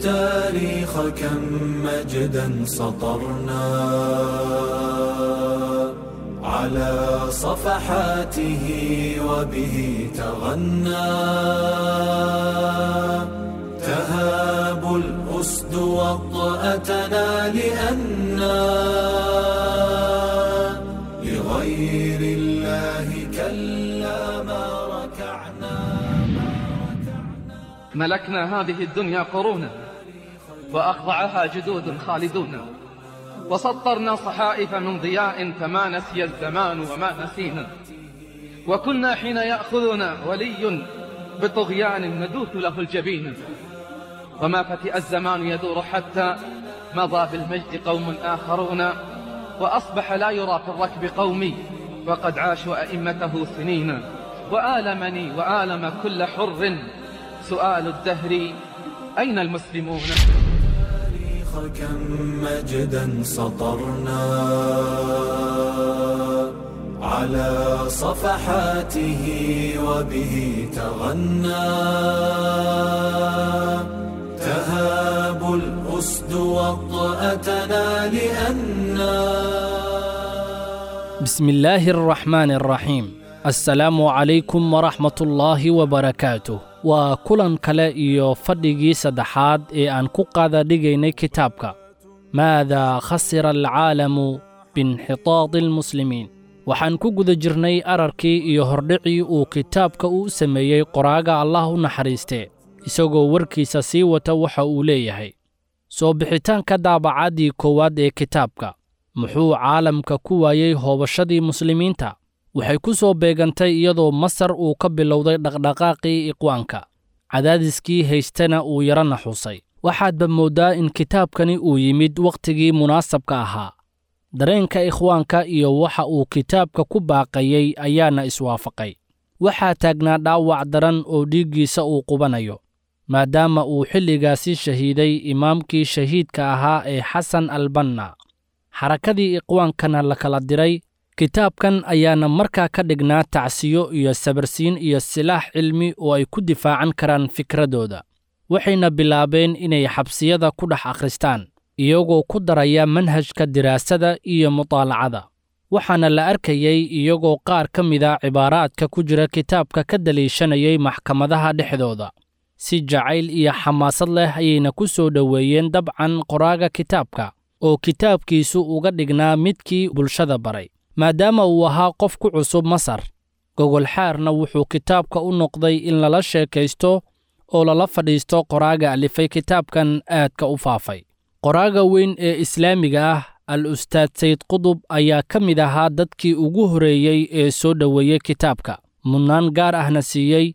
التاريخ كم مجدا سطرنا على صفحاته وبه تغنى تهاب الأسد وطأتنا لأنا لغير الله كلا ما ركعنا. ملكنا هذه الدنيا قرونا وأخضعها جدود خالدون، وسطرنا صحائف من ضياء فما نسي الزمان وما نسينا، وكنا حين يأخذنا ولي بطغيان ندوث له الجبين، وما فتئ الزمان يدور حتى مضى بالمجد قوم آخرون، وأصبح لا يرى في الركب قومي وقد عاشوا أئمته سنين. وآلمني وآلم كل حر سؤال الدهر أين المسلمون؟ كم مجدا سطرنا على صفحاته وبه تغنى تهاب الأسد وطأتنا لأنا. بسم الله الرحمن الرحيم. Assalaamu calaykum waraxmatullaahi wabarakaatuh. Waa kulan kale iyo fadhigii saddexaad ee aan ku qaada dhigaynay kitaabka Maadaa khasira alcaalamu biinxitaadi almuslimiin. Waxaan ku guda jirnay ararkii iyo hordhicii uu kitaabka u sameeyey qoraaga Allah u naxariistee. Isagoo warkiisa sii wata waxa uu leeyahay: soo bixitaanka daabacaddii koowaad ee kitaabka muxuu caalamka ku waayey hoobashadii muslimiinta waxay ku soo beegantay iyadoo Masar uu ka bilowday dhaqdhaqaaqii iqwaanka, cadaadiskii haystana uu yara naxuusay. Waxaadba mooddaa in kitaabkani uu yimid wakhtigii munaasabka ahaa. Dareenka ikhwaanka iyo waxa uu kitaabka ku baaqayey ayaana iswaafaqay. Waxaa taagnaa dhaawac daran oo dhiiggiisa uu qubanayo, maadaama uu xilligaasi shahiiday imaamkii shahiidka ahaa ee Xasan Albanna, xarakadii iqwaankana la kala diray. Kitaabkan ayaana markaa ka dhignaa tacsiyo iyo sabarsiin iyo silaax cilmi oo ay ku difaacan karaan fikradooda. Waxayna bilaabeen inay xabsiyada ku dhex akhristaan, iyagoo ku daraya manhajka diraasada iyo mutaalacada. Waxaana la arkayey iyagoo qaar ka mida cibaaraadka ku jira kitaabka ka daliishanayay maxkamadaha dhexdooda. Si jacayl iyo xamaasad leh ayayna ku soo dhoweeyeen dabcan qoraaga kitaabka, oo kitaabkiisu uga dhignaa midkii bulshada baray. Maadaama uu ahaa qof ku cusub Masar, gogolxaarna wuxuu kitaabka u noqday in lala sheekaysto oo lala fadhiisto qoraaga alifay kitaabkan aadka u faafay. Qoraaga weyn ee islaamiga ah Al-Ustaad Sayid Qutb ayaa ka mid ahaa dadkii ugu horreeyey ee soo dhoweeyey kitaabka, mudnaan gaar ahna siiyey,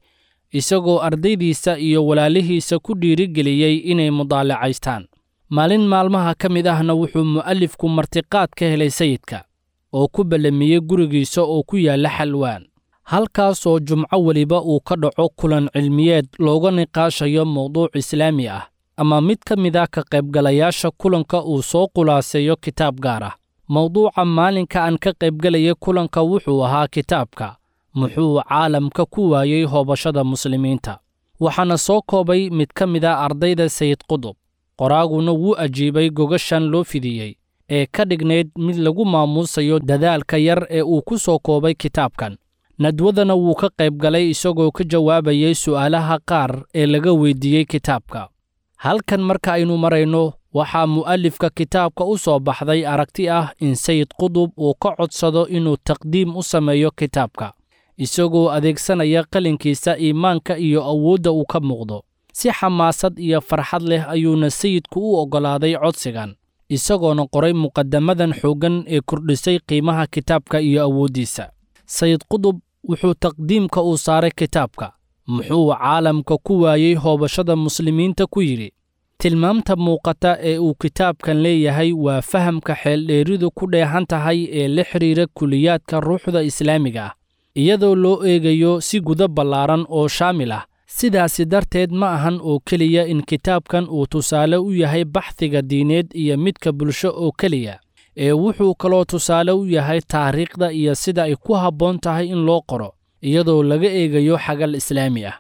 isagoo ardaydiisa iyo walaalihiisa ku dhiirigeliyey inay mudaalacaystaan. Maalin maalmaha ka mid ahna wuxuu mu'alifku martiqaad ka helay sayidka, oo ku ballamiyey gurigiisa oo ku yaalla Xalwaan, halkaasoo jumco weliba uu ka dhaco kulan cilmiyeed looga niqaashayo mowduuc islaami ah, ama mid ka mid ah ka qaybgalayaasha kulanka uu soo khulaaseeyo kitaab gaar ah. Mowduuca maalinka aan ka qaybgalayay kulanka wuxuu ahaa kitaabka Muxuu caalamka ku waayey hoobashada muslimiinta. Waxaana soo koobay mid ka mid ah ardayda Sayid Qutb. Qoraaguna wuu ajiibay gogashan loo fidiyey ee ka dhignayd mid lagu maamuusayo dadaalka yar ee uu ku soo koobay kitaabkan. Nadwadana wuu ka qaybgalay isagoo ka jawaabayay su'aalaha qaar ee laga weydiiyey kitaabka. Halkan marka aynu marayno, waxaa mu'alifka kitaabka u soo baxday aragti ah in Sayid Qutb uu ka codsado inuu taqdiim u sameeyo kitaabka, isagoo adeegsanaya qalinkiisa iimaanka iyo awoodda uu ka muuqdo. Si xamaasad iyo farxad leh ayuuna sayidku u oggolaaday codsigan, isagoona qoray muqaddamadan xooggan ee kordhisay qiimaha kitaabka iyo awooddiisa. Sayid Qutb wuxuu taqdiimka uu saaray kitaabka Muxuu caalamka ku waayey hoobashada muslimiinta ku yidhi: tilmaamta muuqata ee uu kitaabkan leeyahay waa fahamka xeeldheeridu ku dheehan tahay ee la xidhiira kuliyaadka ruuxda islaamiga ah, iyadoo loo eegayo si gudo ballaaran oo shaamil ah. Sidaasi darteed ma ahan oo keliya in kitaabkan uu tusaale u yahay baxthiga diineed iyo midka bulsho oo keliya, ee wuxuu kaloo tusaale u yahay taariikhda iyo sida ay ku habboon tahay in loo qoro, iyadoo laga eegayo xagal islaami ah.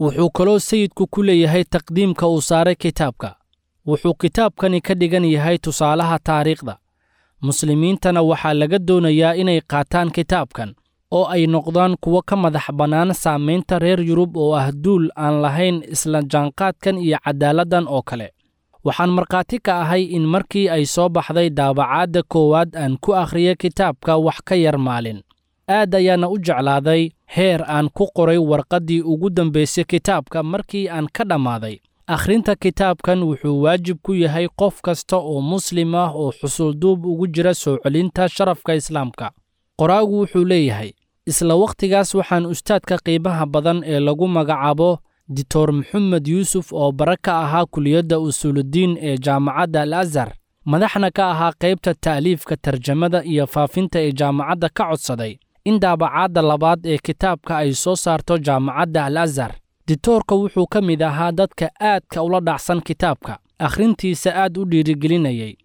Wuxuu kaloo sayidku ku leeyahay taqdiimka uu saaray kitaabka. Wuxuu kitaabkani ka dhigan yahay tusaalaha taariikhda. Muslimiintana waxaa laga doonayaa inay qaataan kitaabkan oo ay noqdaan kuwo ka madax bannaan saamaynta reer Yurub oo ah duul aan lahayn isla jaanqaadkan iyo cadaaladdan oo kale. Waxaan markhaati ka ahay in markii ay soo baxday daabacaadda koowaad aan ku akhriyay kitaabka wax ka yar maalin. Aad ayaana u jeclaaday heer aan ku qoray warqaddii ugu dambaysay kitaabka markii aan ka dhammaaday. Akhrinta kitaabkan wuxuu waajib ku yahay qof kasta oo muslim ah oo xusulduub ugu jira soo celinta sharafka islaamka. Qoraagu wuxuu leeyahay, isla wakhtigaas waxaan ustaadka qiimaha badan ee lagu magacaabo Dictor Maxamed Yuusuf oo bara ka ahaa kuliyadda usuuludiin ee jaamacadda Al-Azhar, madaxna ka ahaa qaybta ta'liifka, tarjamada iyo faafinta ee jaamacadda, ka codsaday in daabacaadda labaad ee kitaabka ay soo saarto jaamacadda Al-Azhar. Dictoorka wuxuu ka mid ahaa dadka aadka ula dhacsan kitaabka, akhrintiisa aad u dhiirigelinayay.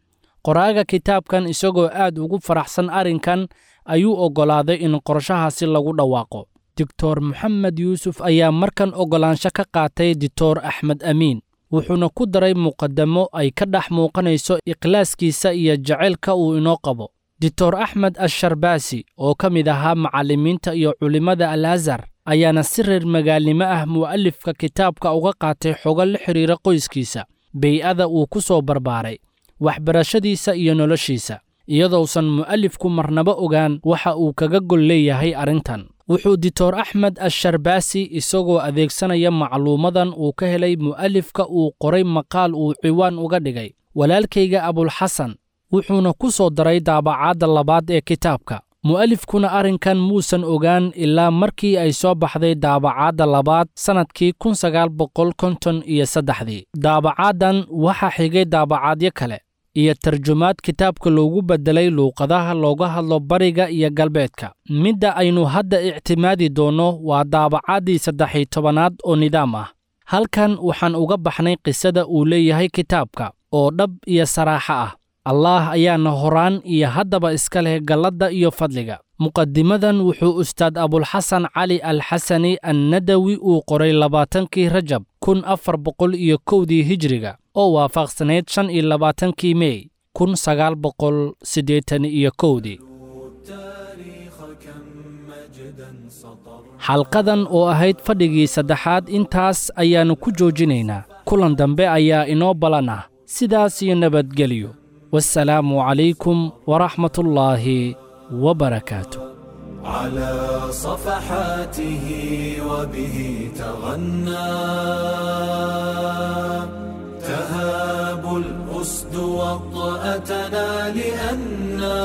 Qoraaga kitaabkan isagoo aad ugu faraxsan arrinkan ayuu oggolaaday in qorshahaasi lagu dhawaaqo. Dictor Maxamed Yuusuf ayaa markan oggolaansho ka qaatay Dictor Axmed Amiin, wuxuuna ku daray muqaddamo ay ka dhex muuqanayso ikhlaaskiisa iyo jacaylka uu inoo qabo. Dictor Axmed Asharbaasi oo ka mid ahaa macallimiinta iyo culimmada Al-Azhar ayaana si reer magaalnimo ah mu'alifka kitaabka uga qaatay xogo la xiriira qoyskiisa, bey'ada uu ku soo barbaaray, waxbarashadiisa iyo noloshiisa, iyadousan mu'alifku marnaba ogaan waxa uu kaga gol leeyahay arrintan. Wuxuu Dictor Axmed Asharbaasi isagoo adeegsanaya macluumadan uu ka helay mu'alifka uu qoray maqaal uu ciwaan uga dhigay Walaalkayga Abulxasan, wuxuuna ku soo daray daabacaadda labaad ee kitaabka. Mu'alifkuna arrinkan muusan ogaan ilaa markii ay soo baxday daabacaadda labaad sannadkii 1953. Daabacaaddan waxaa xigay daabacaadyo kale iyo tarjumaad kitaabka loogu beddelay luuqadaha looga hadlo bariga iyo galbeedka. Midda aynu hadda ictimaadi doonno waa daabacaddii 13aad oo nidaam ah. Halkan waxaan uga baxnay qisada uu leeyahay kitaabka oo dhab iyo saraaxo ah. Allaah ayaana horaan iyo haddaba iska leh galladda iyo fadliga. Muqadimadan wuxuu Ustaad Abulxasan Cali Alxasani Annadawi uu qoray 20kii Rajab 1401dii Hijriga oo waafaqsanayd 25kii Mey 1981dii. Xalqadan oo ahayd fadhigii saddexaad intaas ayaannu ku joojinaynaa. Kulan dambe ayaa inoo ballan ah. Sidaas iyo nabadgelyo. والسلام عليكم ورحمة الله وبركاته. على صفحاته وبه تغنى، تهاب الأسد وطأتنا لأنا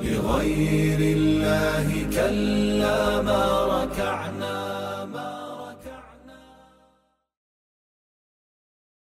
لغير الله كلا ما ركعنا. ما